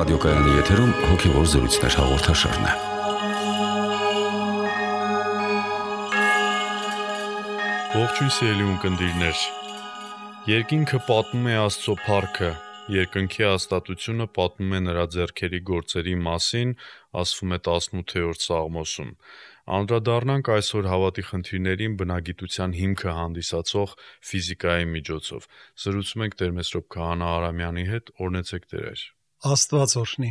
ռադիոկայանի եթերում հոգևոր զրույցներ հաղորդաշարն է։ Ողջույն սիրելի ունկնդիրներ։ Երկինքը պատմում է Աստծո փառքը, երկնքի հաստատությունը պատմում է նրա ձեռքերի գործերի մասին, ասվում է 18-րդ Սաղմոսում։ Անդրադառնանք այսօր հավատի խնդիրներին բնագիտության հիմքը հանդիսացող ֆիզիկայի միջոցով։ Զրուցում ենք Տեր Մեսրոպ Քահանա Արամյանի հետ, օրհնեցեք Տեր։ Աստված օրհնի։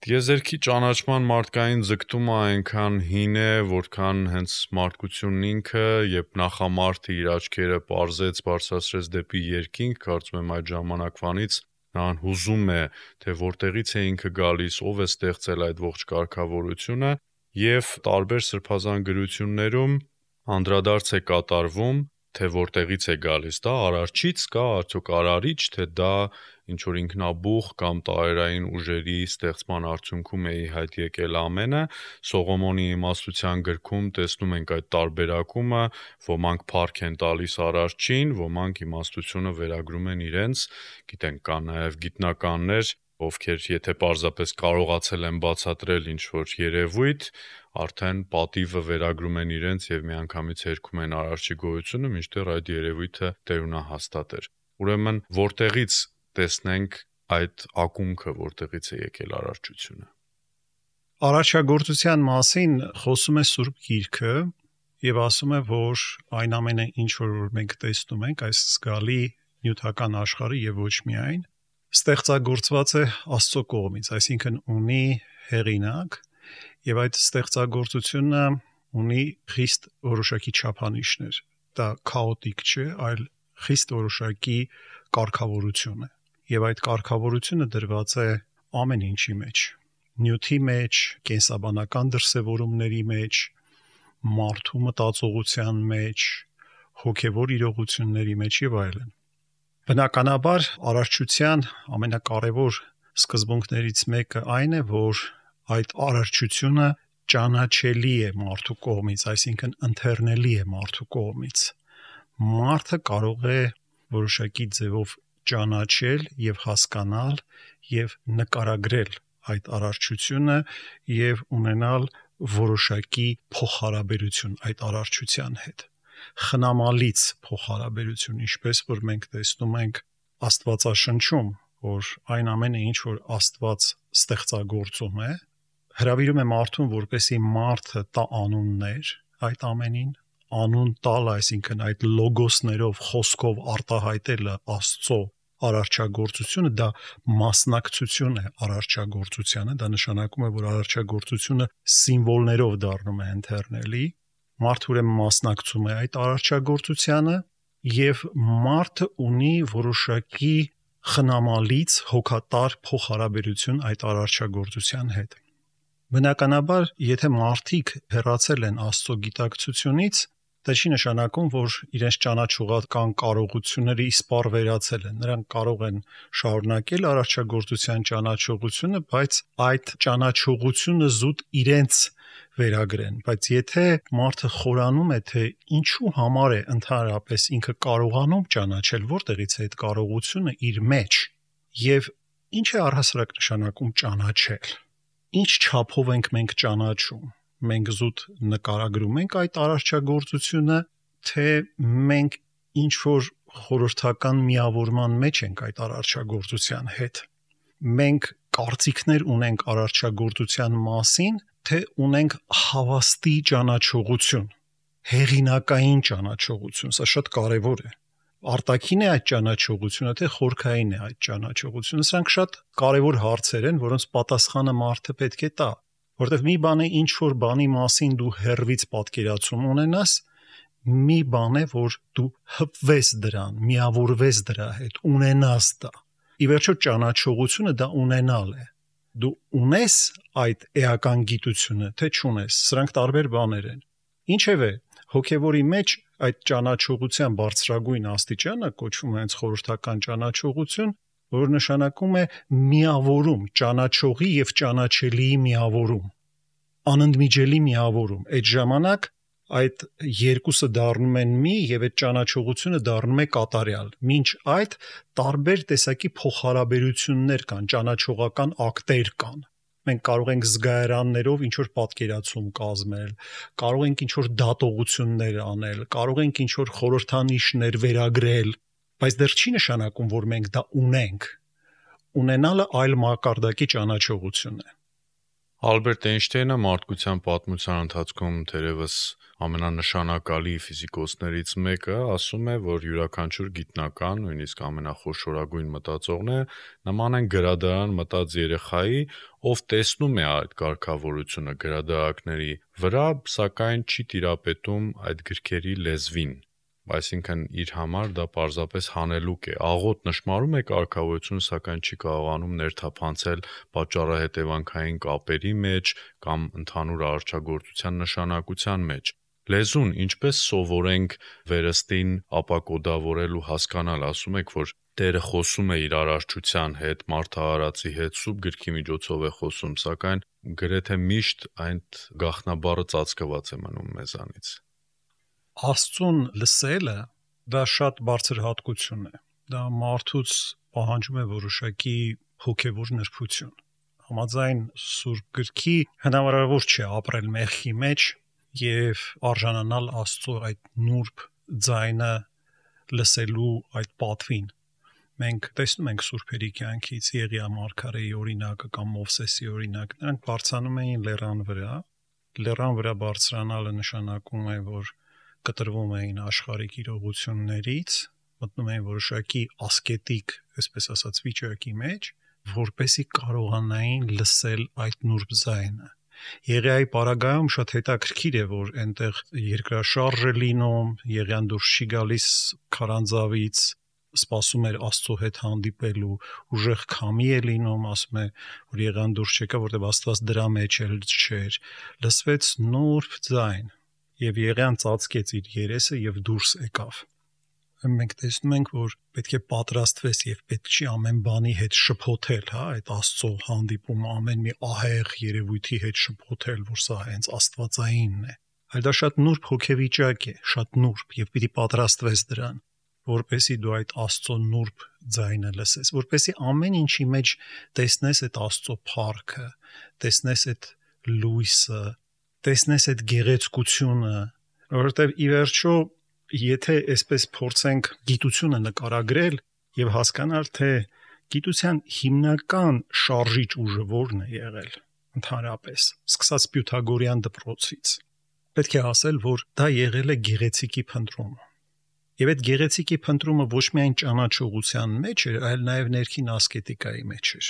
Տիեզերքի ճանաչման մարդկային ձգտումը այնքան հին է, որքան հենց մարդկությունն ինքը, երբ նախամարդը իր աչքերը պարզեց, բարձրացրեց դեպի երկինք, կարծում եմ այդ ժամանակվանից նրան հուզում է, թե որտեղից է ինքը գալիս, ով է ստեղծել այդ ողջ կարգավորությունը, եւ տարբեր սրբազան գրություններում անդրադարձ է կատարվում, թե որտեղից է գալիս, դա արարչից կա, արդյոք արարիչ, թե դա ինչ որ ինքնաբուխ կամ տարերային ուժերի ստեղծման արդյունքում է ի հայտ եկել ամենը։ Սողոմոնի իմաստության գրքում տեսնում ենք այդ տարբերակումը, ոմանք փառք են տալիս արարչին, ոմանք իմաստությունը վերագրում են իրենց, գիտենք, կան նաև գիտնականներ, ովքեր եթե պարզապես կարողացել են բացատրել ինչ-որ երևույթ, արդեն պատիվը վերագրում են իրենց եւ միանգամից հերքում են արարչի գոյությունը, մինչդեռ այդ երևույթը տերունահաստատ էր։ Ուրեմն, որտեղից տեսնենք այդ ակունքը, որտեղից է եկել արարչությունը։ Արարչագործության մասին խոսում է Սուրբ Գիրքը եւ ասում է, որ այն ամենը, ինչ որ մենք տեսնում ենք, այս զգալի նյութական աշխարհը եւ ոչ միայն, ստեղծագործված է Աստծո կողմից, այսինքն ունի հեղինակ եւ այդ ստեղծագործությունը ունի խիստ որոշակի չափանիշներ։ Դա քաոտիկ չէ, այլ խիստ որոշակի կարգավորություն է։ Եվ այդ կարգավորությունը դրված է ամեն ինչի մեջ, նյութի մեջ, կենսաբանական դրսևորումների մեջ, մարդու մտածողության մեջ, հոգևոր իրողությունների մեջ եւ այլն։ Բնականաբար արարչության ամենակարևոր սկզբունքներից մեկը այն է, որ այդ արարչությունը ճանաչելի է մարդու կողմից, այսինքն ընթեռնելի է մարդու կողմից։ Մարդը կարող է որոշակի ձևով ճանաչել եւ հասկանալ եւ նկարագրել այդ արարչությունը եւ ունենալ որոշակի փոխհարաբերություն այդ արարչության հետ, խնամալից փոխհարաբերություն, ինչպես որ մենք տեսնում ենք Աստվածաշնչում, որ այն ամենը, ինչ որ Աստված ստեղծագործում է, հրավիրում է մարդուն, որպեսզի մարդը տա անուններ այդ ամենին, անուն տալ, այսինքն այդ լոգոսներով, խոսքով արտահայտելը Աստծո արարչագործությունը, դա մասնակցություն է արարչագործությանը, դա նշանակում է, որ արարչագործությունը սիմվոլներով դառնում է ընթեռնելի, մարդը ուրեմն մասնակցում է այդ արարչագործությանը եւ մարդը ունի որոշակի խնամալից հոգատար փոխհարաբերություն այդ արարչագործության հետ։ Բնականաբար, եթե մարդիկ հեռացել են Աստծո գիտակցությունից, դա չի նշանակում, որ իրենց ճանաչողական կարողությունները իսպառ վերացել են։ Նրանք կարող են շարունակել արարչագործության ճանաչողությունը, բայց այդ ճանաչողությունը զուտ իրենց վերագրեն։ Բայց եթե մարդը խորանում է, թե ինչու համար է ընդհանրապես ինքը կարողանում ճանաչել, որտեղից է այդ կարողությունը իր մեջ, եւ ինչ է առհասարակ նշանակում ճանաչել, ինչ չափով ենք մենք ճանաչում, մենք զուտ նկարագրում ենք այդ արարչագործությունը, թե մենք ինչ որ խորհրդական միավորման մեջ ենք այդ արարչագործության հետ։ Մենք կարծիքներ ունենք արարչագործության մասին, թե ունենք հավաստի ճանաչողություն, հեղինակային ճանաչողություն, սա շատ կարևոր է։ Արտաքին է այդ ճանաչողությունը, թե խորքային է այդ ճանաչողությունը, սրանք շատ կարևոր հարցեր են, որոնց պատասխանը մարդը պետք է տա, որտեղ մի բան է ինչ որ բանի մասին դու հեռվից պատկերացում ունենաս, մի բան է, որ դու հպվես դրան, միավորվես դրա հետ, ունենաս դա։ Ի վերջո ճանաչողությունը դա ունենալ է։ Դու ունես այդ էական գիտությունը, թե չունես, սրանք տարբեր բաներ են։ Ինչևէ, հոգևորի մեջ այդ ճանաչողության բարձրագույն աստիճանը կոչվում է հենց խորհրդական ճանաչողություն, որ նշանակում է միավորում, ճանաչողի եւ ճանաչելիի միավորում, անընդմիջելի միավորում։ Այդ ժամանակ այդ երկուսը դառնում են մի եւ այդ ճանաչողությունը դառնում է կատարյալ։ Մինչ այդ տարբեր տեսակի փոխհարաբերություններ կան, ճանաչողական ակտեր կան։ Մենք կարող ենք զգայարաններով ինչ-որ պատկերացում կազմել, կարող ենք ինչ-որ դատողություններ անել, կարող ենք ինչ-որ խորհրդանիշներ վերագրել, բայց դեռ չի նշանակում, որ մենք դա ունենք։ Ունենալը այլ մակարդակի ճանաչողություն է։ Ալբերտ Էյնշտեյնը մարդկության պատմության ընթացքում թերևս ամենանշանակալի ֆիզիկոսներից մեկը ասում է, որ յուրաքանչյուր գիտնական, նույնիսկ ամենախոշորագույն մտածողները նման են գրադարան մտած երեխայի, ով տեսնում է այդ կարգավորությունը գրադարակների վրա, սակայն չի տիրապետում այդ գրքերի լեզվին։ Այսինքն իր համար դա պարզապես հանելուկ է, աղոտ նշմարում է կարգավորությունը, սակայն չի կարողանում ներթափանցել պատճառահետևանքային կապերի մեջ կամ ընդհանուր արարչագործության նշանակության մեջ։ Լեզուն ինչպես սովորենք վերստին ապակոդավորել ու հասկանալ, ասում եք, որ Տերը խոսում է իր արարչության հետ, մարդահարացի հետ, սուրբ գրքի միջոցով է խոսում, սակայն գրեթե միշտ այդ գաղտնաբառը ծածկված է մնում մեզանից։ Աստծուն լսելը դա շատ բարձր հատկություն է։ Դա մարդուց պահանջում է որոշակի հոգևոր նրբություն։ Համաձայն Սուրբ Գրքի հնարավոր չէ ապրել մեղքի մեջ եւ արժանանալ Աստծո այդ նուրբ ձայնը լսելու այդ պատվին։ Մենք տեսնում ենք սուրբերի կյանքից Եղիա մարգարեի օրինակը կամ Մովսեսի օրինակը, նրանք բարձրանում էին լեռան վրա։ Լեռան վրա բարձրանալը նշանակում է, որ կտրվում էին աշխարհիկ իրողություններից, մտնում էին որոշակի ասկետիկ, այսպես ասած, վիճակի մեջ, որպեսզի կարողանային լսել այդ նուրբ ձայնը։ Եղիայի պարագայում շատ հետաքրքիր է, որ այնտեղ երկրաշարժ է լինում, Եղիան դուրս չի գալիս քարանձավից, սպասում էր Աստծո հետ հանդիպելու, ուժեղ քամի է լինում, ասում է, որ Եղիան դուրս չեկա, որտեղ Աստված դրա մեջ էլ չէր։ Լսվեց նուրբ ձայն, եւ Եղիան ծածկեց իր երեսը եւ դուրս եկավ։ Մենք տեսնում ենք, որ պետք է պատրաստվես եւ պետք չի ամեն բանի հետ շփոթել, հա, այդ Աստծո հանդիպումը ամեն մի ահեղ երևույթի հետ շփոթել, որ սա հենց աստվածայինն է։ Այլ դա շատ նուրբ հոգեվիճակ է, շատ նուրբ եւ պիտի պատրաստվես դրան, որպեսզի դու այդ Աստծո նուրբ ձայնը լսես, որպեսզի ամեն ինչի մեջ տեսնես այդ Աստծո փառքը, տեսնես այդ լույսը, տեսնես այդ գեղեցկությունը, որովհետև ի վերջո, եթե այսպես փորձենք գիտությունը նկարագրել եւ հասկանալ, թե գիտության հիմնական շարժիչ ուժը որն է եղել, ընդհանրապես, սկսած Պյութագորյան դպրոցից, պետք է ասել, որ դա եղել է գեղեցիկի փնտրումը։ Եվ այդ գեղեցիկի փնտրումը ոչ միայն ճանաչողության մեջ էր, այլ նաեւ ներքին ասկետիկայի մեջ էր։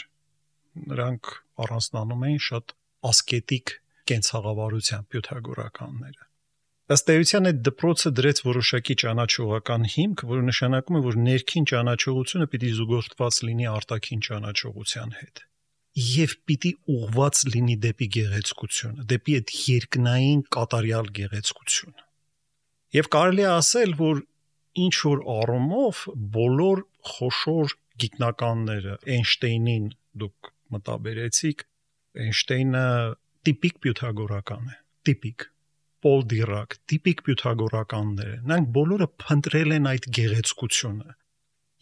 Նրանք առանձնանում էին շատ ասկետիկ կենցաղավարության պյութագորականները։ Ըստ էության այդ դպրոցը դրեց որոշակի ճանաչողական հիմք, որը նշանակում է, որ ներքին ճանաչողությունը պիտի զուգորդված լինի արտաքին ճանաչողության հետ եւ պիտի ուղղված լինի դեպի գեղեցկությունը, դեպի այդ երկնային կատարյալ գեղեցկությունը։ Եվ կարելի է ասել, որ ինչ որ առումով բոլոր խոշոր գիտնականները Էյնշտեյնին դուք մտաբերեցիք, Էյնշտեյնը տիպիկ պյութագորական է, տիպիկ Պոլ Դիրակ, տիպիկ պյութագորականներ են, նրանք բոլորը փնտրել են այդ գեղեցկությունը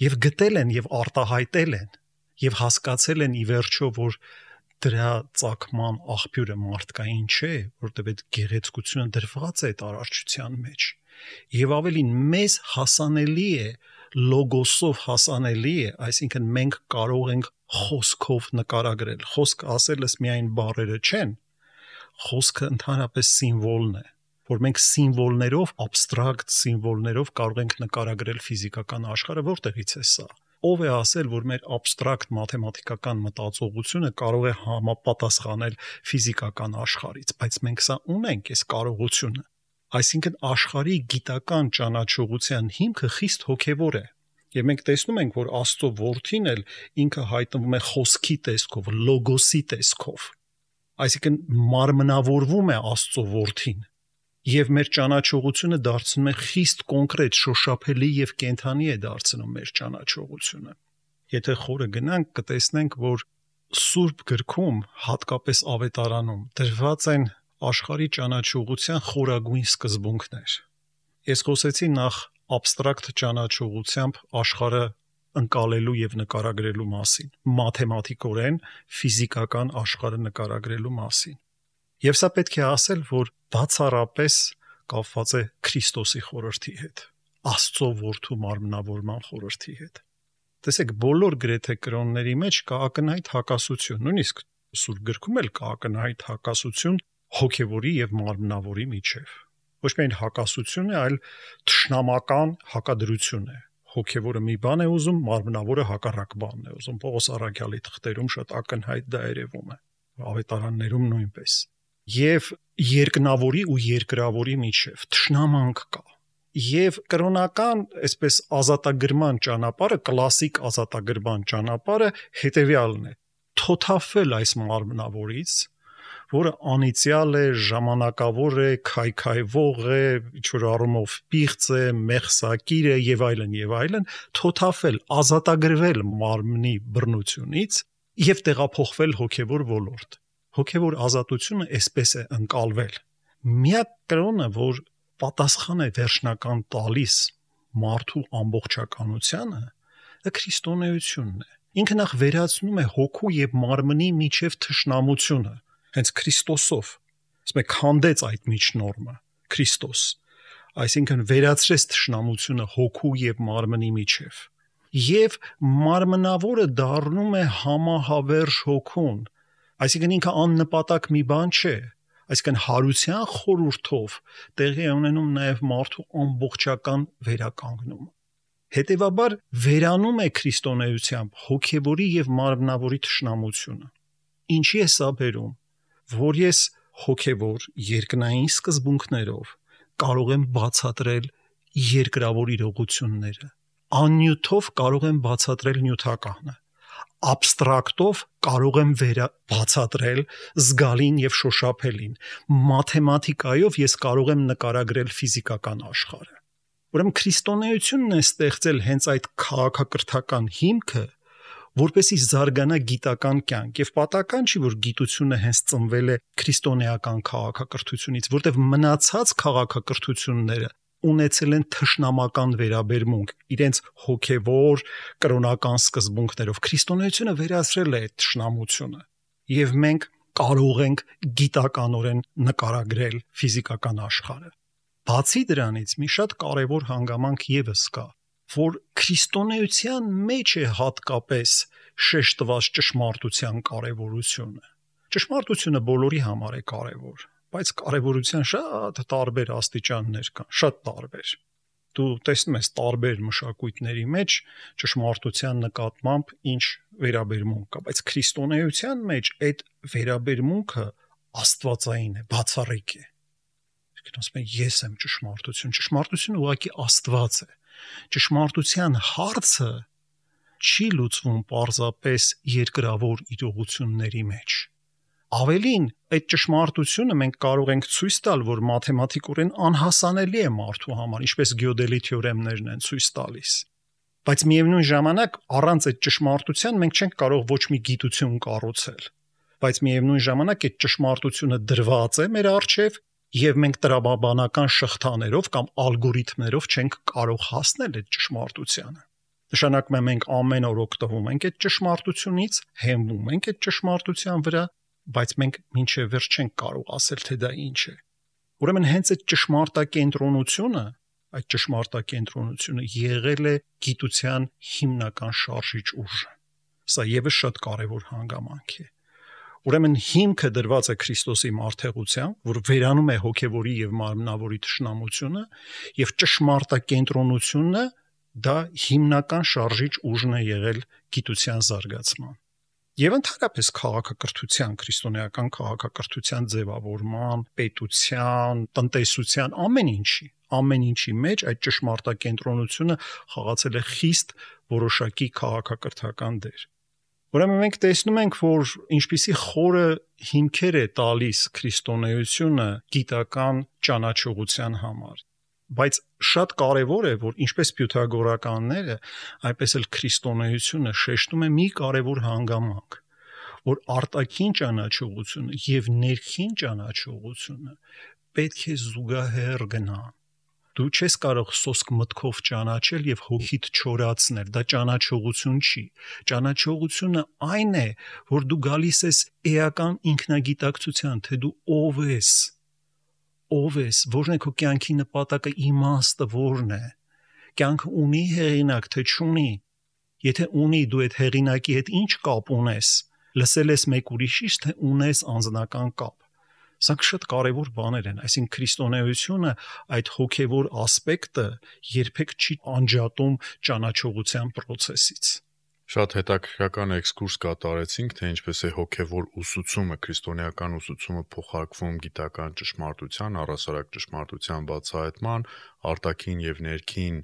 եւ գտել են եւ արտահայտել են եւ հասկացել են ի վերջո, որ դրա ծագման աղբյուրը մարդկային չէ, որտեղ այդ գեղեցկությունը դրված է այդ արարչության մեջ եւ ավելին մեզ հասանելի է, լոգոսով հասանելի է, այսինքն մենք կարող ենք խոսքով նկարագրել, խոսք ասելս միայն բառերը չեն, խոսքը ընդհանրապես սիմվոլն է, որ մենք սիմվոլներով, абստրակտ սիմվոլներով կարող ենք նկարագրել ֆիզիկական աշխարհը, որտեղից է սա։ Ով է ասել, որ մեր абստրակտ մաթեմատիկական մտածողությունը կարող է համապատասխանել ֆիզիկական աշխարհից, բայց մենք սա ունենք, այս կարողությունը։ Այսինքն աշխարհի գիտական ճանաչողության հիմքը խիստ հոգևոր է։ Եվ մենք տեսնում ենք, որ Աստծո որդին էլ ինքը հայտնվում է խոսքի տեսքով, լոգոսի տեսքով։ Այսինքն մարմնավորվում է Աստծո որդին եւ մեր ճանաչողությունը դարձնում է խիստ կոնկրետ, շոշափելի եւ կենթանի է դարձնում մեր ճանաչողությունը։ Եթե խորը գնանք, կտեսնենք, որ Սուրբ գրքում, հատկապես Ավետարանում, դրված են աշխարհի ճանաչողության խորագույն սկզբունքներ։ Ես խոսեցի նախ абստրակտ ճանաչողությամբ աշխարհը ընկալելու եւ նկարագրելու մասին, մաթեմատիկորեն ֆիզիկական աշխարհը նկարագրելու մասին։ Եվ սա պետք է ասել, որ բացառապես կապված է Քրիստոսի խորհրդի հետ, Աստծո որդու մարմնավորման խորհրդի հետ։ Տեսեք, բոլոր գրեթե կրոնների մեջ կա ակնհայտ հակասություն, նույնիսկ Սուրբ գրքում էլ կա ակնհայտ հակասություն հոգևորի եւ մարմնավորի միջև։ Ոչ միայն հակասություն է, այլ թշնամական հակադրություն է։ Հոգևորը մի բան է ուզում, մարմնավորը հակառակ բանն է ուզում։ Պողոս առաքյալի թղթերում շատ ակնհայտ դա երևում է, ավետարաններում նույնպես։ Եվ երկնավորի ու երկրավորի միջև թշնամանք կա։ Եվ կրոնական, այսպես ազատագրման ճանապարհը, կլասիկ ազատագրման ճանապարհը հետևյալն է. թոթափվել այս մարմնավորից, որը անիծյալ է, ժամանակավոր է, քայքայվող է, ինչ-որ առումով պիղծ է, մեղսակիր է եւ այլն, թոթափվել, ազատագրվել մարմնի բռնությունից եւ տեղափոխվել հոգեվոր ոլորտ։ Հոգեվոր ազատությունը այսպես է ընկալվել։ Միակ կրոնը, որ պատասխան է վերջնական տալիս մարդու ամբողջականությանը, դա քրիստոնեությունն է։ Ինքը նախ վերացնում է հոգու եւ մարմնի միջև թշնամությունը, հենց Քրիստոսով։ Ասում է քանդեց այդ միջնորմը Քրիստոս, այսինքն վերացրեց թշնամությունը հոգու եւ մարմնի միջև։ Եվ մարմնավորը դառնում է համահավերժ հոգուն, այսինքն ինքը աննպատակ մի բան չէ, այսինքն հարության խորհրդով տեղի է ունենում նաև մարդու ամբողջական վերականգնումը։ Հետևաբար վերանում է քրիստոնեությամբ հոգևորի եւ մարմնավորի թշնամությունը։ Ինչի է սա բերում, որ ես հոգևոր երկնային սկզբունքներով կարող եմ բացատրել երկրավոր իրողությունները, աննյութով կարող եմ բացատրել նյութականը, абստրակտով կարող եմ բացատրել զգալին եւ շոշափելին, մաթեմատիկայով ես կարող եմ նկարագրել ֆիզիկական աշխարհը։ Ուրեմն քրիստոնեությունն է ստեղծել հենց այդ քաղաքակրթական հիմքը, որպեսզի զարգանա գիտական կյանք, եւ պատահական չի, որ գիտությունը հենց ծնվել է քրիստոնեական քաղաքակրթությունից, որտեղ մնացած քաղաքակրթությունները ունեցել են թշնամական վերաբերմունք իրենց հոգևոր կրոնական սկզբունքներով։ Քրիստոնեությունը վերացրել է այդ թշնամությունը եւ մենք կարող ենք գիտականորեն նկարագրել ֆիզիկական աշխարհը։ Բացի դրանից մի շատ կարևոր հանգամանք եւս կա, որ քրիստոնեության մեջ է հատկապես շեշտված ճշմարտության կարևորությունը։ Ճշմարտությունը բոլորի համար է կարևոր, բայց կարևորության շատ տարբեր աստիճաններ կան, շատ տարբեր։ Դու տեսնում ես տարբեր մշակույթների մեջ ճշմարտության նկատմամբ ինչ վերաբերմունք կա, բայց քրիստոնեության մեջ այդ վերաբերմունքը աստվածային է, բացառիկ է։ Ասում են ես եմ ճշմարտությունը ուղղակի Աստված է։ Ճշմարտության հարցը չի լուծվում պարզապես երկրավոր իրողությունների մեջ։ Ավելին, այդ ճշմարտությունը մենք կարող ենք ցույց տալ, որ մաթեմատիկորեն անհասանելի է մարդու համար, ինչպես Գյոդելի թեորեմներն են ցույց տալիս։ Բայց միևնույն ժամանակ առանց այդ ճշմարտության մենք չենք կարող ոչ մի գիտություն կառուցել։ Բայց միևնույն ժամանակ այդ ճշմարտությունը դրված է մեր առջև եւ մենք տրամաբանական շղթաներով կամ ալգորիթմներով չենք կարող հասնել այդ ճշմարտությանը։ Նշանակում է մենք ամեն օր օգտվում ենք այդ ճշմարտությունից, հենվում ենք այդ ճշմարտության վրա, բայց մենք մինչև վերջ չենք կարող ասել, թե դա ինչ է։ Ուրեմն հենց այդ ճշմարտակենտրոնությունը եղել է գիտության հիմնական շարժիչ ուժը։ Սա եւս շատ կարևոր հանգամանք է։ Ուրեմն հիմքը դրված է Քրիստոսի մարդեղությամբ, որ վերանում է հոգևորի եւ մարմնավորի թշնամությունը, եւ ճշմարտակենտրոնությունը դա հիմնական շարժիչ ուժն է եղել գիտության զարգացման։ Եվ ընդհանրապես քաղաքակրթության, քրիստոնեական քաղաքակրթության ձևավորման, պետության, տնտեսության, ամեն ինչի մեջ այդ ճշմարտակենտրոնությունը խաղացել է խիստ որոշակի քաղաքակրթական դեր։ Ուրեմն մենք տեսնում ենք, որ ինչպիսի խորը հիմքեր է տալիս քրիստոնեությունը գիտական ճանաչողության համար։ Բայց շատ կարևոր է, որ ինչպես պյութագորականները, այնպես էլ քրիստոնեությունը շեշտում է մի կարևոր հանգամանք, որ արտաքին ճանաչողությունը եւ ներքին ճանաչողությունը պետք է զուգահեռ գնան։ Դու չես կարող սոսկ մտքով ճանաչել եւ հոգիդ չորացնել, դա ճանաչողություն չի։ Ճանաչողությունը այն է, որ դու գալիս ես էական ինքնագիտակցության, թե դու ով ես, որն է քո կյանքի նպատակը, իմաստը որն է։ Կյանքը ունի հեղինակ, թե չունի։ Եթե ունի, դու այդ հեղինակի հետ ինչ կապ ունես, լսել ես մեկ ուրիշից, թե ունես անձնական կապ։ Սա շատ կարևոր բաներ են, այսինքն քրիստոնեությունը այդ հոգևոր ասպեկտը երբեք չի անջատում ճանաչողության process-ից։ Շատ հետաքրքրական էքսկուրս կատարեցինք, թե ինչպես է հոգևոր ուսուցումը, քրիստոնեական ուսուցումը փոխարկվում գիտական ճշմարտության, առհասարակ ճշմարտության բացահայտման, արտաքին եւ ներքին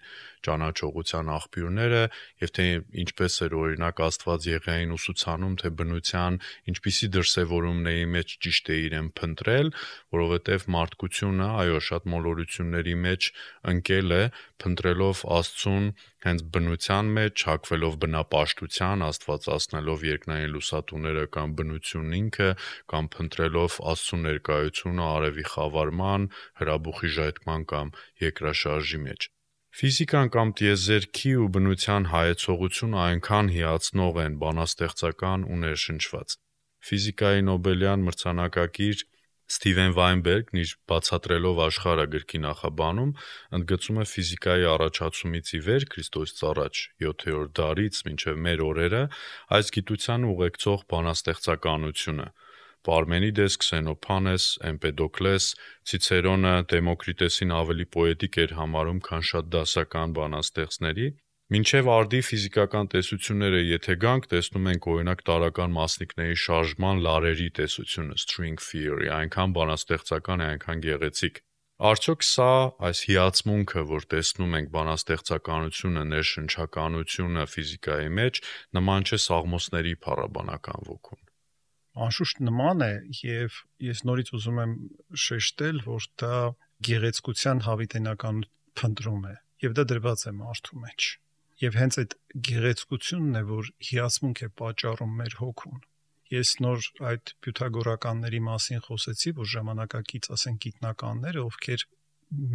ճանաչողության աղբյուրները, եւ թե ինչպես էր օրինակ Աստված Եղիային ուսուցանում, թե բնության ինչպիսի դրսևորումների մեջ ճիշտ է իրեն փնտրել, որովհետեւ մարդկությունը, այո, շատ մոլորությունների մեջ ընկել է, փնտրելով Աստծուն հենց բնության մեջ, հակվելով բնապաշտության, աստվածացնելով երկնային լուսատուները կամ բնությունն ինքը, կամ փնտրելով Աստծո ներկայությունը արևի խավարման, հրաբուխի ժայթքման կամ երկրաշարժի մեջ։ Ֆիզիկան կամ տիեզերքի ու բնության հայեցողությունը այնքան հիացնող են, բանաստեղծական ու ներշնչված։ Ֆիզիկայի Նոբելյան մրցանակակիր Սթիվեն Վայնբերգն իր բացատրելով աշխարհը գրքի նախաբանում ընդգծում է ֆիզիկայի առաջացումից ի վեր Քրիստոսից առաջ 7-րդ դարից մինչև մեր օրերը այս գիտության ուղեկցող բանաստեղծականությունը։ Պարմենիդես, Քսենոփանես, Էմպեդոկլես, Ցիցերոնը Դեմոկրիտեսին ավելի պոետիկ էր համարում, քան շատ դասական բանաստեղծների, մինչև արդի ֆիզիկական տեսությունները եթե գանք, տեսնում ենք օրինակ տարական մասնիկների շարժման լարերի տեսությունը, string theory, այնքան բանաստեղծական է, այնքան գեղեցիկ։ Արդյոք սա այս հիացմունքը, որ տեսնում ենք բանաստեղծականությունը, ներշնչականությունը ֆիզիկայի մեջ, նման չէ Սաղմոսների փառաբանական ոգուն։ Անշուշտ նման է, եւ ես նորից ուզում եմ շեշտել, որ դա գեղեցկության հավիտենական փնտրում է, եւ դա դրված է մարդու մեջ։ Եվ հենց այդ գեղեցկությունն է, որ հիացմունք է պատճառում մեր հոգուն։ Ես նոր այդ պյութագորականների մասին խոսեցի, որ ժամանակակից, ասենք, գիտնականները, ովքեր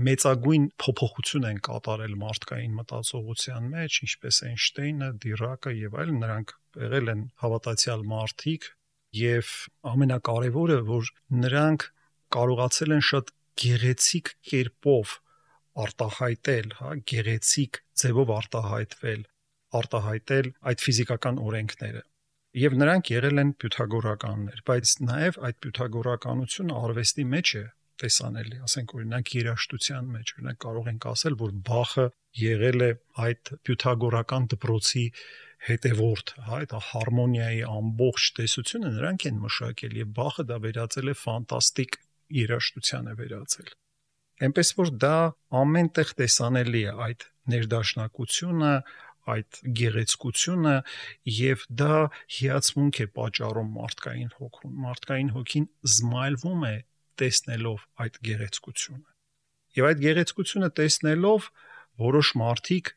մեծագույն փոփոխություն են կատարել մարդկային մտածողության մեջ, ինչպես Էյնշտեյնը, Դիրակը եւ այլն, նրանք եղել են հավատացյալ մարդիկ, եւ ամենակարևորը, որ նրանք կարողացել են շատ գեղեցիկ կերպով արտահայտել, գեղեցիկ ձևով արտահայտել այդ ֆիզիկական օրենքները։ Եվ նրանք եղել են պյութագորականներ, բայց նաև այդ պյութագորականությունը արվեստի մեջ է տեսանելի, ասենք օրինակ երաժշտության մեջ, օրինակ կարող ենք ասել, որ Բախը եղել է այդ պյութագորական դպրոցի հետևորդ, այդ հարմոնիայի ամբողջ տեսությունը նրանք են մշակել եւ Բախը դա վերածել է ֆանտաստիկ երաժշտության է վերածել։ Էնպես որ դա ամենտեղ տեսանելի է այդ ներդաշնակությունը, այդ գեղեցկությունը եւ դա հիացմունք է պատճառում մարդկային հոգուն։ Մարդկային հոգին զմայլվում է տեսնելով այդ գեղեցկությունը։ Եվ այդ գեղեցկությունը տեսնելով որոշ մարդիկ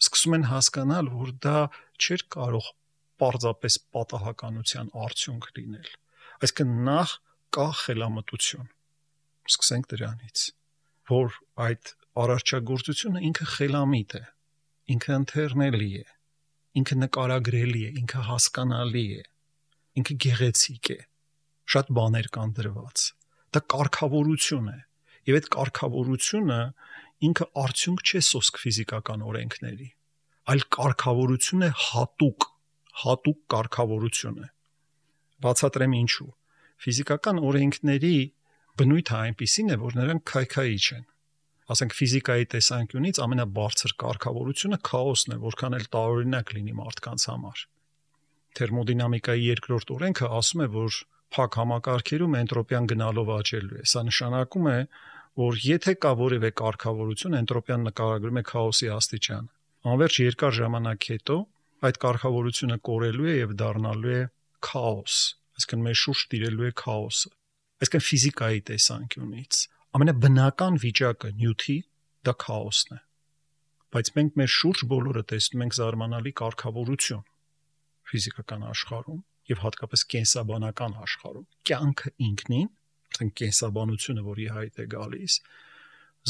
սկսում են հասկանալ, որ դա չէր կարող պարզապես պատահականության արդյունք լինել։ Այսինքն նախ կա խելամտություն։ Սկսենք դրանից, որ այդ արարչագործությունը ինքը խելամիտ է, ինքը ընթեռնելի է, ինքը նկարագրելի է, ինքը հասկանալի է, ինքը գեղեցիկ է, շատ բաներ կան դրված։ Դա կարգավորություն է, եւ այդ կարգավորությունը ինքը արդյունք չէ սոսկ ֆիզիկական օրենքների, այլ կարգավորություն է հատուկ կարգավորություն է։ Բացատրեմ ինչու։ Ֆիզիկական օրենքների բնույթը այնպիսին է, որ նրանք քայքայիչ են։ Ասենք ֆիզիկայի տեսանկյունից ամենաբարձր կարգավորությունը քաոսն է, որքան էլ տարօրինակ լինի մարդկանց համար։ Թերմոդինամիկայի երկրորդ օրենքը ասում է, որ փակ համակարգերում էնտրոպիան գնալով աճելու է։ Սա նշանակում է, որ եթե կա որևէ կարգավորություն, էնտրոպիան նկարագրում է քաոսի աստիճանը։ Անվերջ երկար ժամանակ հետո այդ կարգավորությունը կորելու է եւ դառնալու է քաոս, այսինքն մեր շուրջ տիրելու է քաոսը։ Այսինքն ֆիզիկայի տեսանկյունից ամենաբնական վիճակը նյութի դա քաոսն է։ Բայց մենք մեր շուրջ բոլորը տեսնում ենք զարմանալի կարգավորություն ֆիզիկական աշխարհում, եւ հատկապես կենսաբանական աշխարհում կյանքը ինքնին, արդեն կենսաբանությունը, որի հայտ է գալիս,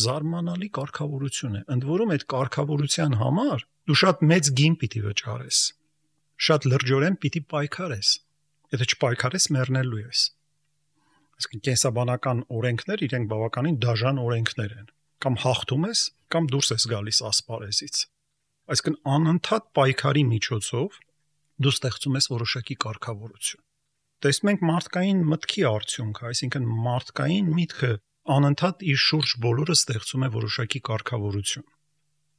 զարմանալի կարգավորություն է։ Ընդ որում այդ կարգավորության համար դու շատ մեծ գին պիտի վճարես, շատ լրջորեն պիտի պայքարես։ Եթե չպայքարես, մեռնելու ես։ Այսինքն կենսաբանական օրենքներ իրենք բավականին դաժան օրենքներ են։ Կամ հաղթում ես, կամ դուրս ես գալիս ասպարեզից։ Այսինքն անընդհատ պայքարի միջոցով դու ստեղծում ես որոշակի կարգավորություն։ Տեսնում ենք մարդկային մտքի արդյունքը, այսինքն մարդկային միտքը անընդհատ իր շուրջ բոլորը ստեղծում է որոշակի կարգավորություն։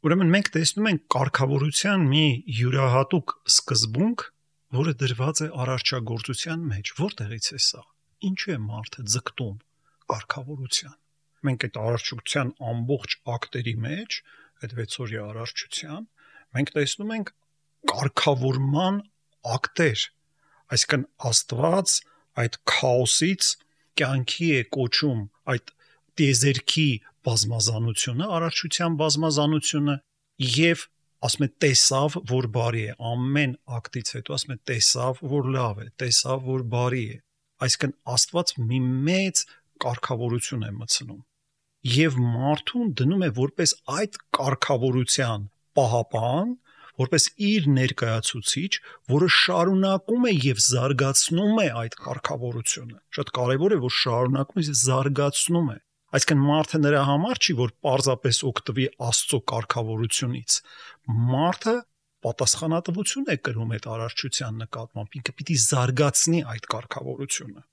Ուրեմն մենք տեսնում ենք կարգավորության մի յուրահատուկ սկզբունք, որը դրված է արարչագործության մեջ։ Որտեղից է սա։ Ինչու է մարդը ձգտում կարգավորության։ Մենք այդ արարչության ամբողջ ակտերի մեջ, այդ 6-օրյա արարչության, մենք տեսնում ենք կարգավորման ակտեր, այսինքն Աստված այդ քաոսից կյանքի է կոչում այդ տիեզերքի բազմազանությունը, արարչության բազմազանությունը եւ ասում է տեսավ, որ բարի է, ամեն ակտից հետո ասում է տեսավ, որ լավ է, տեսավ, որ բարի է, այսինքն Աստված մի մեծ կարգավորություն է մտցնում եւ մարդուն դնում է որպես այդ կարգավորության պահապան, որպես իր ներկայացուցիչ, որը շարունակում է եւ զարգացնում է այդ կարգավորությունը։ Շատ կարեւոր է, որ շարունակում է զարգացնում է։ Այսինքն մարդը նրա համար չի, որ պարզապես օգտվի Աստծո կարգավորությունից։ Մարդը պատասխանատվություն է կրում այդ արարչության նկատմամբ, ինքը պիտի զարգացնի այդ կարգավորությունը։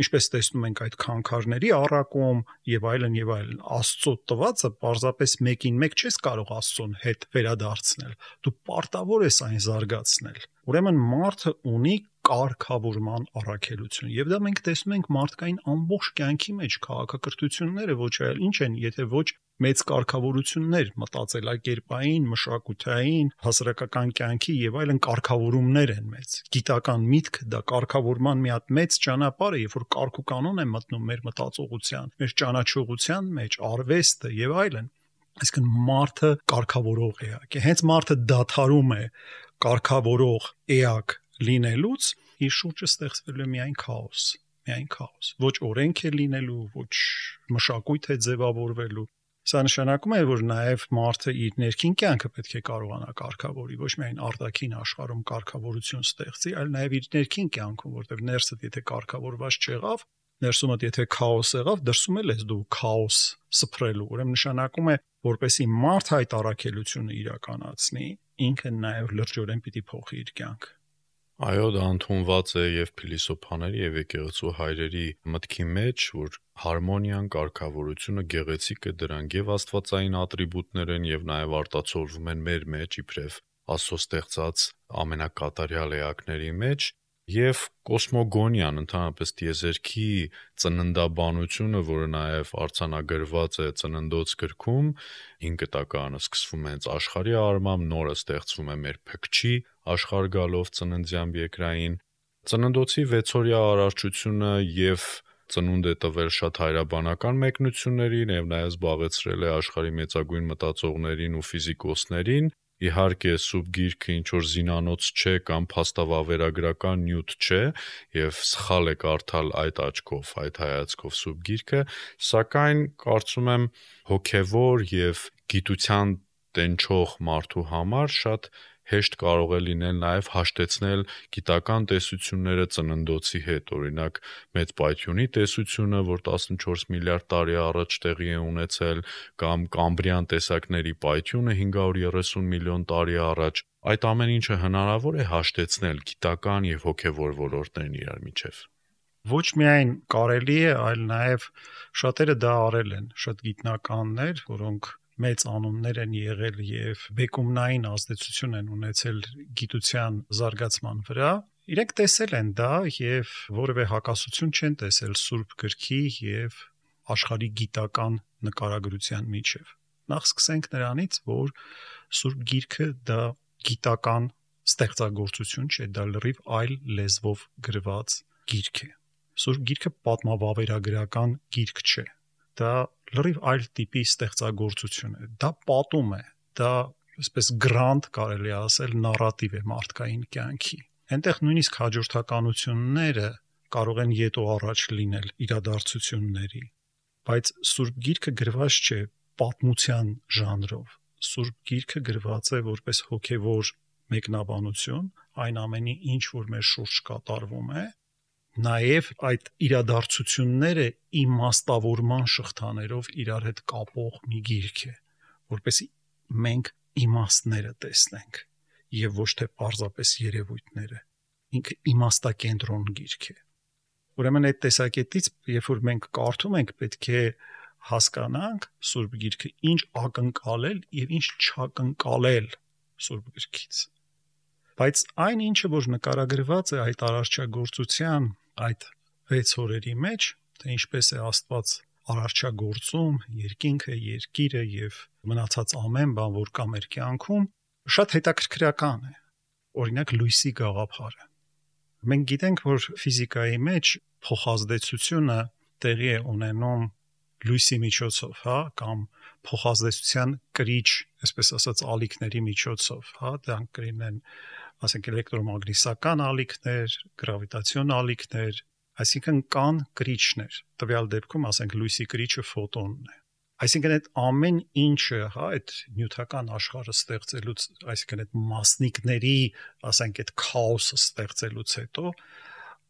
Ինչպես տեսնում ենք այդ քանքարների առակում եւ այլն եւ այլն, Աստծո տվածը պարզապես մեկին մեկ չես կարող Աստծոն հետ վերադարձնել։ Դու պարտավոր ես այն զարգացնել։ Ուրեմն մարդը ունի կարգավորման առաքելություն եւ դա մենք տեսնում ենք մարդկային ամբողջ կյանքի մեջ քաղաքակրթությունները ոչ այլ ինչ են, եթե ոչ մեծ կարգավորություններ, մտածելակերպային, մշակութային, հասարակական կյանքի եւ այլն կարգավորումներ են մեծ։ Գիտական միտքը դա կարգավորման մի հատ մեծ ճանապարհ է, երբ որ կարգ ու կանոն է մտնում մեր մտածողության, մեր ճանաչողության մեջ, արվեստը եւ այլն։ Այսինքն մարդը կարգավորող էակ է։ Հենց մարդը դադարում է կարգավորող էակ լինելուց, իր շուրջը ստեղծվելու է միայն քաոս, միայն քաոս։ Ոչ օրենք է լինելու, ոչ մշակույթ է ձևավորվելու։ Սա նշանակում է, որ նաև մարդը իր ներքին կյանքը պետք է կարողանա կարգավորի, ոչ միայն արտաքին աշխարհում կարգավորություն ստեղծի, այլ նաև իր ներքին կյանքում, որտեղ ներսդ եթե կարգավորված չեղավ, ներսումդ եթե քաոս եղավ, դրսում էլ ես դու քաոս սփռելու։ Ուրեմն նշանակում է, որպեսի մարդը այդ առաքելությունը իրականացնի, ինքը նաև լրջորեն պիտի փոխի իր կյանքը։ Այո, դա ընդունված է եւ փիլիսոփաների եւ եկեղեցու հայրերի մտքի մեջ, որ հարմոնիան, կարգավորությունը գեղեցիկ է դրանք եւ աստվածային ատրիբուտներ են եւ նաեւ արտացոլվում են մեր մեջ իբրև Աստծո ստեղծած ամենակատարյալ էակների մեջ եւ կոսմոգոնիան, ընդհանրապես տիեզերքի ծննդաբանությունը, որը նաեւ արձանագրված է Ծննդոց գրքում, 5 տակարանը սկսվում է հենց աշխարհի արմամբ, նորը ստեղծվում է մեր փքչի աշխարհ գալով ծննդյան երկրային։ Ծննդոցի 6-օրյա արարչությունը եւ ծնունդ է տվել շատ հայրաբանական մեկնություններին եւ նաեւ զբաղեցրել է աշխարհի մեծագույն մտածողներին ու ֆիզիկոսներին։ Իհարկե սուրբ գիրքը ինչ որ զինանոց չէ կամ փաստավավերագրական նյութ չէ եւ սխալ է կարդալ այդ աչքով, այդ հայացքով սուրբ գիրքը, սակայն կարծում եմ հոգեվոր եւ գիտության տենչող մարդու համար շատ հեշտ կարող է լինել նաև հաշտեցնել գիտական տեսությունները ծննդոցի հետ, օրինակ մեծ պայթյունի տեսությունը, որ 14 միլիարդ տարի առաջ տեղի է ունեցել, կամ կամբրյան տեսակների պայթյունը 530 միլիոն տարի առաջ, այդ ամեն ինչը հնարավոր է հաշտեցնել գիտական եւ հոգեվոր ոլորտներն իրար միջև։ Ոչ միայն կարելի է, այլ նաև շատերը դա արել են, շատ գիտնականներ, որոնք մեծ անուններ են եղել եւ բեկումնային ազդեցություն են ունեցել գիտության զարգացման վրա, իրենք տեսել են դա եւ որևէ հակասություն չեն տեսել Սուրբ գրքի եւ աշխարհի գիտական նկարագրության միջև։ Նախ սկսենք նրանից, որ Սուրբ գիրքը դա գիտական ստեղծագործություն չէ, դա լրիվ այլ լեզվով գրված գիրք է։ Սուրբ գիրքը պատմավավերագրական գիրք չէ։ Դա լրիվ այլ տիպի ստեղծագործություն է։ Դա պատում է, դա այսպես գրանտ կարելի ասել նարատիվ է մարդկային կյանքի։ Այնտեղ նույնիսկ հաջորդականությունները կարող են յետո առաջ լինել իրադարձությունների, բայց Սուրբ Գիրքը գրված չէ պատմության ժանրով։ Սուրբ Գիրքը գրված է որպես հոգևոր մեկնաբանություն այն ամենի, ինչ որ մեր շուրջ կատարվում է, նաև այդ իրադարձությունները իմաստավորման շղթաներով իրար հետ կապող մի գիրք է, որպեսզի մենք իմաստները տեսնենք եւ ոչ թե պարզապես երևույթները։ Ինքը իմաստակենտրոն գիրք է։ Ուրեմն այդ տեսակետից, երբ որ մենք կարդում ենք, պետք է հասկանանք Սուրբ Գիրքը ինչ ակնկալել եւ ինչ չակնկալել Սուրբ Գրքից։ Բայց այն ինչը որ նկարագրված է այդ արարչագործության այդ 6 օրերի մեջ, թե ինչպես է Աստված արարչագործում երկինքը, երկիրը եւ մնացած ամեն բան, որ կա մեր կյանքում, շատ հետաքրքրական է։ Օրինակ լույսի գաղափարը։ Մենք գիտենք, որ ֆիզիկայի մեջ փոխազդեցությունը տեղի է ունենում լույսի միջոցով, հա, կամ փոխազդեցության կրիչ, այսպես ասած, ալիքների միջոցով, հա, դրանք կլինեն, ասենք, էլեկտրոմագնիսական ալիքներ, գրավիտացիոն ալիքներ, այսինքն կան կրիչներ։ Տվյալ դեպքում, ասենք, լույսի կրիչը ֆոտոնն է։ Այսինքն այդ ամեն ինչը, հա, այդ նյութական աշխարհը ստեղծելուց, այսինքն այդ մասնիկների, ասենք, այդ քաոսը ստեղծելուց հետո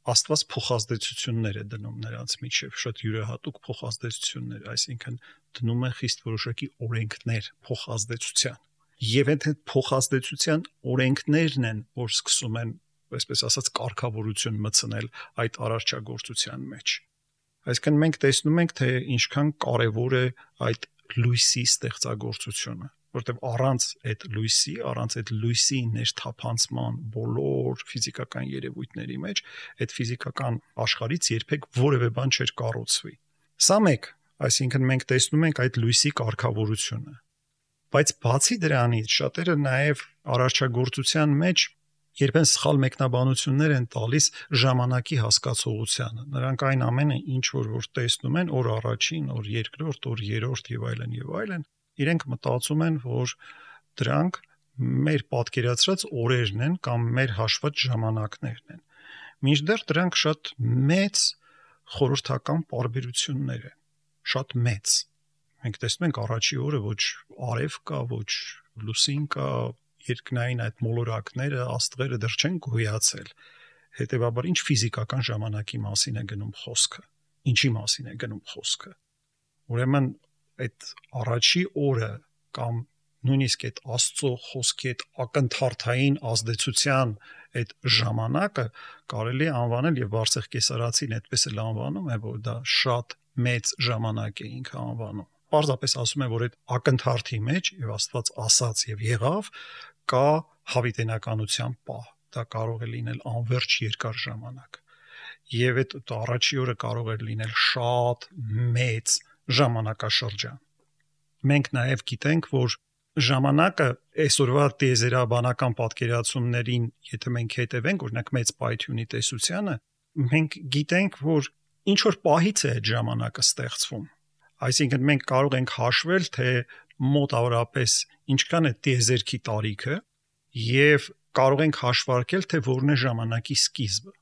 Աստված փոխազդեցություններ է դնում նրանց միջև, շատ յուրահատուկ փոխազդեցություններ, այսինքն դնում է խիստ որոշակի օրենքներ փոխազդեցության։ Եվ այդ փոխազդեցության օրենքներն են, որ սկսում են, այսպես ասած, կարգավորություն մտցնել այդ արարչագործության մեջ։ Այսինքն մենք տեսնում ենք, թե ինչքան կարևոր է այդ լույսի ստեղծագործությունը, որտեղ առանց այդ լույսի ներթափանցման բոլոր ֆիզիկական երևույթների մեջ այդ ֆիզիկական աշխարհից երբեք որևէ բան չէր կառուցվի։ Սա մեկ, այսինքն մենք տեսնում ենք այդ լույսի կարգավորությունը։ Բայց բացի դրանից շատերը նաև արարչագործության մեջ երբեն սխալ մեկնաբանություններ են տալիս ժամանակի հասկացողությանը։ Նրանք այն ամենը, ինչ որ տեսնում են օր առաջին, օր երկրորդ, օր երրորդ եւ այլն, իրենք մտածում են, որ դրանք մեր պատկերացրած օրերն են կամ մեր հաշված ժամանակներն են։ Մինչդեռ դրանք շատ մեծ խորհրդական պարբերություններ են, շատ մեծ։ Մենք տեսնում ենք առաջի օրը ոչ արև կա, ոչ լուսին կա, երկնային այդ մոլորակները, աստղերը դեռ չեն գոյացել։ Հետևաբար ինչ ֆիզիկական ժամանակի մասին է գնում խոսքը, ինչի մասին է գնում խոսքը։ Ուրեմն այդ առաջի օրը կամ նույնիսկ այդ Աստծո խոսքի այդ ակնթարթային ազդեցության այդ ժամանակը կարելի է անվանել, եւ Վարսեղ Կեսարացին այդպես էլ անվանում է, որ դա շատ մեծ ժամանակ է ինքը անվանում։ Պարզապես ասում է, որ այդ ակնթարթի մեջ եւ Աստված ասաց եւ եղավ, կա հավիտենականության պահ։ Դա կարող է լինել անverջ երկար ժամանակ։ Եվ այդ առաջի օրը կարող է լինել շատ մեծ ժամանակաշրջան։ Մենք նաև գիտենք, որ ժամանակը այսօրվա տիեզերաբանական պատկերացումներին, եթե մենք հետևենք, օրինակ մեծ պայթյունի տեսությանը, մենք գիտենք, որ ինչ որ պահից է այդ ժամանակը ստեղծվում։ Այսինքն մենք կարող ենք հաշվել, թե մոտավորապես ինչքան է տիեզերքի տարիքը եւ կարող ենք հաշվարկել, թե որն է ժամանակի սկիզբը։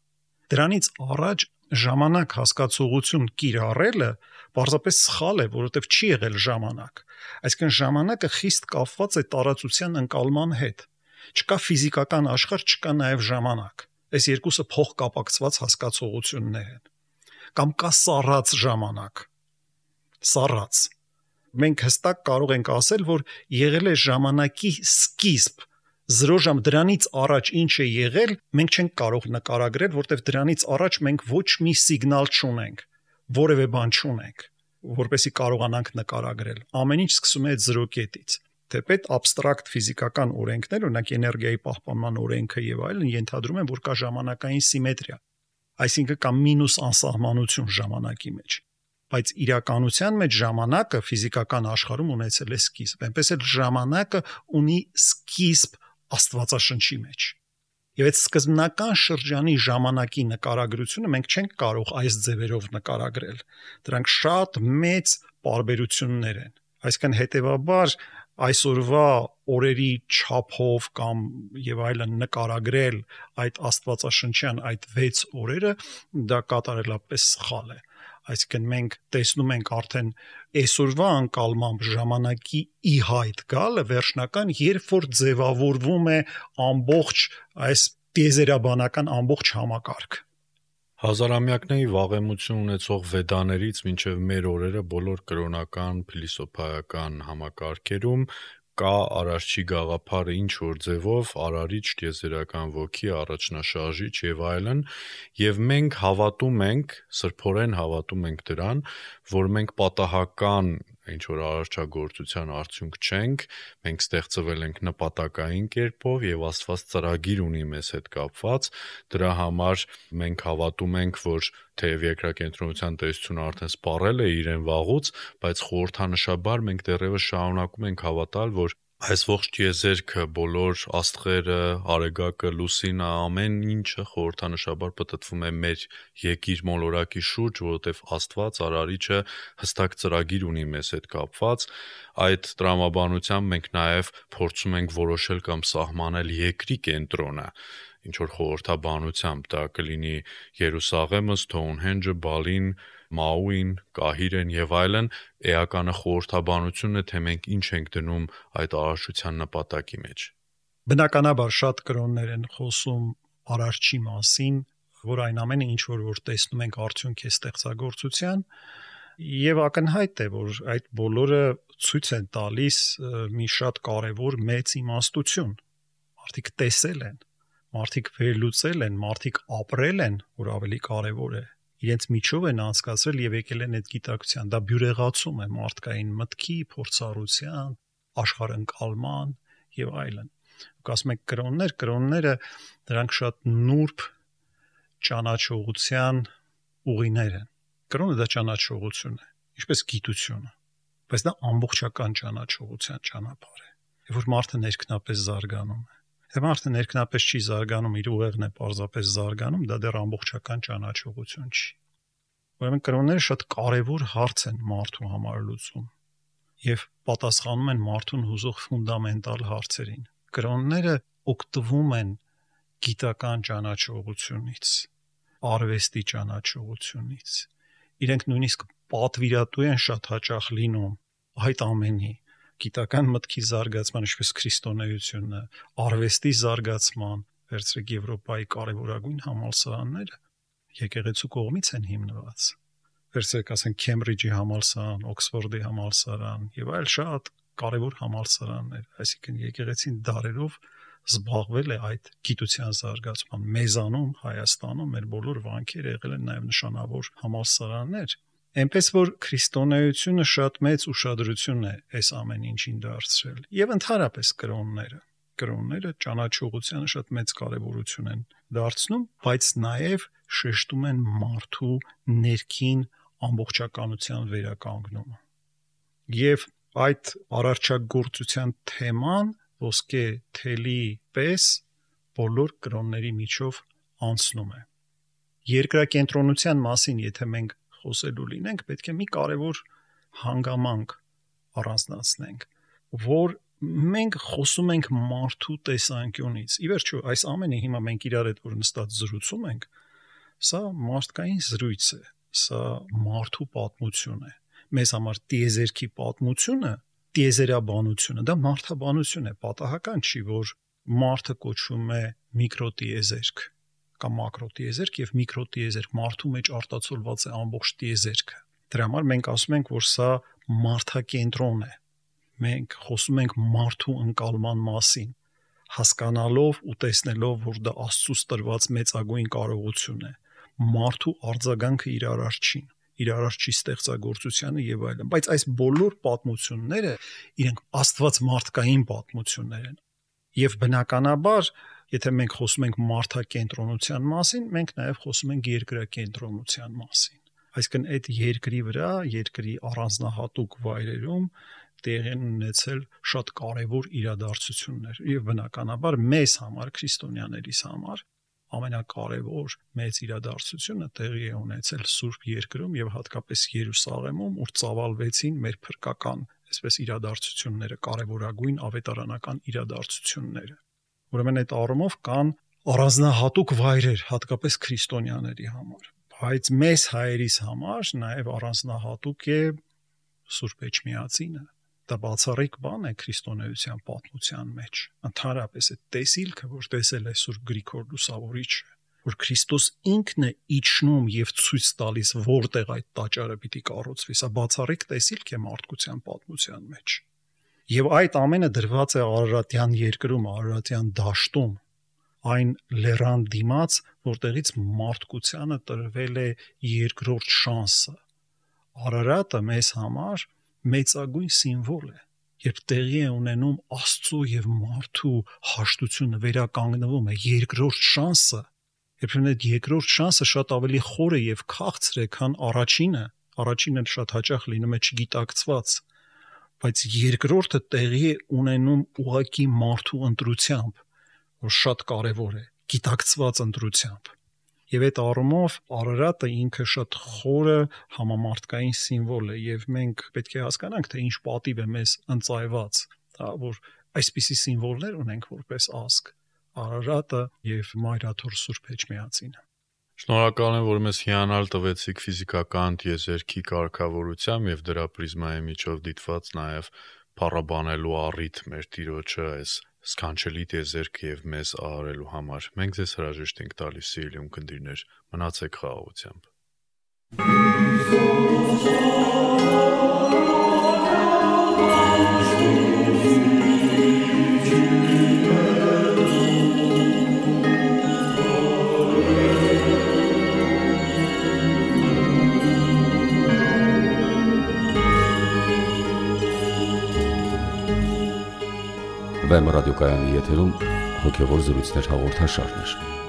Դրանից առաջ ժամանակ հասկացողություն կիրառելը պարզապես սխալ է, որովհետև չի եղել ժամանակ։ Այսինքն ժամանակը խիստ կապված է տարածության ընկալման հետ։ Չկա ֆիզիկական աշխարհ, չկա նաև ժամանակ։ Այս երկուսը փոխկապակցված հասկացողություններ են։ Կամ կա սառած ժամանակ։ Սառած։ Մենք հստակ կարող ենք ասել, որ եղել է ժամանակի սկիզբ։ 0 ժամ դրանից առաջ ինչ է եղել, մենք չենք կարող նկարագրել, որտեղ դրանից առաջ մենք ոչ մի սիգնալ չունենք, որևէ բան չունենք, որպեսզի կարողանանք նկարագրել։ Ամեն ինչ սկսում է այդ 0 կետից։ Թեպետ абստրակտ ֆիզիկական օրենքներ, օրինակ էներգիայի պահպանման օրենքը եւ այլն, ենթադրում են, որ կա ժամանակային սիմետրիա, այսինքն կա մինուս անսահմանություն ժամանակի մեջ։ Բայց իրականության մեջ ժամանակը ֆիզիկական աշխարհում ունեցել է սկիզբ, այնպես էլ ժամանակը ունի սկիզբ Աստվածաշնչի մեջ։ Եվ այդ սկզբնական շրջանի ժամանակի նկարագրությունը մենք չենք կարող այս ձևերով նկարագրել։ Դրանք շատ մեծ պարբերություններ են։ Այսինքն հետևաբար այսօրվա օրերի չափով կամ եւ այլն նկարագրել այդ աստվածաշնչյան այդ 6 օրերը դա կատարելապես սխալ է։ Այսինքն մենք տեսնում ենք արդեն այսօրվա անկալմամբ ժամանակի ի հայտ գալը վերջնական, երբ որ ձևավորվում է ամբողջ այս տիեզերաբանական ամբողջ համակարգ։ Հազարամյակների վաղեմություն ունեցող վեդաներից մինչև մեր օրերը բոլոր կրոնական, փիլիսոփայական համակարգերում կա Արարչի գաղափարը ինչ որ ձևով արարիչ, տիեզերական ոգի, առաջնաշարժիչ եւ այլն, եւ մենք հավատում ենք, սրբորեն հավատում ենք դրան, որ մենք պատահական ինչ որ արարչագործության արդյունք չենք, մենք ստեղծվել ենք նպատակային կերպով եւ Աստված ծրագիր ունի մեզ հետ կապված, դրա համար մենք հավատում ենք, որ թեև երկրակենտրոնության տեսությունը արդեն սպառել է իրեն վաղուց, բայց խորհրդանշաբար մենք դեռևս շարունակում ենք հավատալ, որ այս ողջ տիեզերքը, բոլոր աստղերը, արեգակը, լուսինը, ամեն ինչը խորհրդանշաբար պտտվում է մեր եկիր մոլորակի շուրջ, որովհետև Աստված արարիչը հստակ ծրագիր ունի մեզ հետ կապված, այդ տրամաբանությամբ մենք նաև փորձում ենք որոշել կամ սահմանել երկրի կենտրոնը, ինչ որ խորհրդաբանությամբ դա կլինի Երուսաղեմը, Սթոունհենջը, Բալին, Մաուին, Կահիրեն եւ այլն, էականը խորհրդաբանությունն է, թե մենք ինչ ենք դնում այդ արարչության նպատակի մեջ։ Բնականաբար շատ կրոններ են խոսում արարչի մասին, որ այն ամենը ինչ որ տեսնում ենք արդյունք է ստեղծագործության, եւ ակնհայտ է, որ այդ բոլորը ցույց են տալիս մի շատ կարեւոր մեծ իմաստություն։ Մարդիկ տեսել են, մարդիկ վերլուծել են, մարդիկ ապրել են, որ ավելի կարեւոր է։ Իրենց միջով են անցկացրել եւ եկել են այդ գիտակցության։ Դա բյուրեղացում է մարդկային մտքի, փորձառության, աշխարհընկալման եւ այլն։ Ու ասում եք կրոնները դրանք շատ նուրբ ճանաչողության ուղիներ են։ Կրոնը դա ճանաչողություն է, ինչպես գիտությունը, բայց դա ամբողջական ճանաչողության ճանապարհ է, որ մարդը ներքնապես զարգանում է։ Եթե մարդը ներքնապես չի զարգանում, իր ուղեղն է պարզապես զարգանում, դա դեռ ամբողջական ճանաչողություն չի։ Ուրեմն կրոնները շատ կարևոր հարց են մարդու համար լուծում եւ պատասխանում են մարդուն հուզող ֆունդամենտալ հարցերին։ Կրոնները օգտվում են գիտական ճանաչողությունից, արվեստի ճանաչողությունից։ Իրենք նույնիսկ պատվիրատու են շատ հաճախ լինում այդ ամենի գիտական մտքի զարգացման, ինչպես քրիստոնեությունը, արվեստի զարգացման, վերցրեք Եվրոպայի կարևորագույն համալսարանները եկեղեցու կողմից են հիմնված։ Վերցրեք, ասենք Քեմբրիջի համալսարան, Օքսֆորդի համալսարան եւ այլ շատ կարևոր համալսարաններ, այսինքն եկեղեցին դարերով զբաղվել է այդ գիտության զարգացման մեզանում, Հայաստանում մեր բոլոր վանքերը եղել են նաեւ նշանավոր համալսարաններ։ Այնպես որ քրիստոնեությունը շատ մեծ ուշադրություն է այս ամեն ինչին դարձրել եւ ընդհանրապես կրոնները ճանաչողությանը շատ մեծ կարեւորություն են դարձնում, բայց նաեւ շեշտում են մարդու ներքին ամբողջականության վերականգնումը։ Եվ այդ արարչագործության թեման ոսկե թելի պես բոլոր կրոնների միջով անցնում է։ Երկրակենտրոնության մասին, եթե մենք խոսելու լինենք, պետք է մի կարևոր հանգամանք առանձնացնենք, որ մենք խոսում ենք մարդու տեսանկյունից։ Ի վերջո, այս ամենը հիմա մենք իրար հետ որ նստած զրուցում ենք, սա մարդկային զրույց է, սա մարդու պատմություն է։ Մեզ համար տիեզերքի պատմությունը, տիեզերաբանությունը, դա մարդաբանություն է, պատահական չի, որ մարդը կոչվում է միկրոտիեզերք կամ մակրոտիեզերք եւ միկրոտիեզերք, մարդու մեջ արտացոլված է ամբողջ տիեզերքը։ Դրա համար մենք ասում ենք, որ սա մարդակենտրոն է։ Մենք խոսում ենք մարդու ընկալման մասին, հասկանալով ու տեսնելով, որ դա Աստծուց տրված մեծագույն կարողություն է։ Մարդու արձագանքը իր արարչին, իր արարչի ստեղծագործությանը եւ այլն։ Բայց այս բոլոր պատմությունները իրենք Աստված մարդկային պատմություններ են։ Եվ բնականաբար եթե մենք խոսում ենք մարդակենտրոնության մասին, մենք նաև խոսում ենք երկրակենտրոնության մասին։ Այսինքն այդ երկրի վրա, երկրի առանձնահատուկ վայրերում տեղի են ունեցել շատ կարևոր իրադարձություններ։ Եվ բնականաբար մեզ համար, քրիստոնյաներիս համար ամենակարևոր մեծ իրադարձությունը տեղի է ունեցել Սուրբ Երկրում եւ հատկապես Երուսաղեմում, ուր ծավալվեցին մեր փրկական այսպես իրադարձությունները, կարևորագույն ավետարանական իրադարձությունները։ Ուրեմն այդ առումով կան առանձնահատուկ վայրեր, հատկապես քրիստոնյաների համար, բայց մեզ հայերիս համար նաև առանձնահատուկ է Սուրբ Էջմիածինը։ Դա բացառիկ բան է քրիստոնեության պատմության մեջ։ Ընդհանրապես այդ տեսիլքը, որ տեսել է Սուրբ Գրիգոր Լուսավորիչը, որ Քրիստոս ինքն է իջնում եւ ցույց տալիս որտեղ այդ տաճարը պիտի կառուցվի, սա բացառիկ տեսիլք է մարդկության պատմության մեջ։ Եվ այդ ամենը դրված է Արարատյան երկրում, Արարատյան դաշտում, այն լեռան դիմաց, որտեղից մարդկությանը տրվել է երկրորդ շանսը։ Արարատը մեզ համար մեծագույն սիմվոլ է, երբ տեղի է ունենում Աստծո եւ մարդու հաշտությունը, վերականգնվում է երկրորդ շանսը, երբ այդ երկրորդ շանսը շատ ավելի խոր է եւ քաղցր է, քան առաջինը շատ հաճախ լինում է չգիտակցված, բայց երկրորդը տեղի է ունենում ուղակի մարդու ընտրությամբ, որ շատ կարևոր է, գիտակցված ընտրությամբ։ Եվ այդ առումով Արարատը ինքը շատ խորը համամարտկային սիմվոլ է եւ մենք պետք է հասկանանք, թե ինչ պատիվ է մեզ ընծայված, որ այսպիսի սիմվոլներ ունենք որպես ազգ, Արարատը եւ Մայրաթոր Սուրբ Էջմիածինը։ Շնորհակալ եմ, որ մեզ հիանալ տվեցիք ֆիզիկական տիեզերքի կարգավորությամբ եւ դրա պրիզմայի միջով դիտված նաեւ փառաբանելու առիթ մեր Տիրոջը այս սքանչելի տիեզերքը եւ մեզ արարելու համար։ Մենք ձեզ հրաժեշտ ենք տալիս, սիրելի ունկնդիրներ, մնացեք խաղաղությամբ։ Վեմ ռադիոկայանի եթերում հոգևոր զրույցներ հաղորդաշարներ։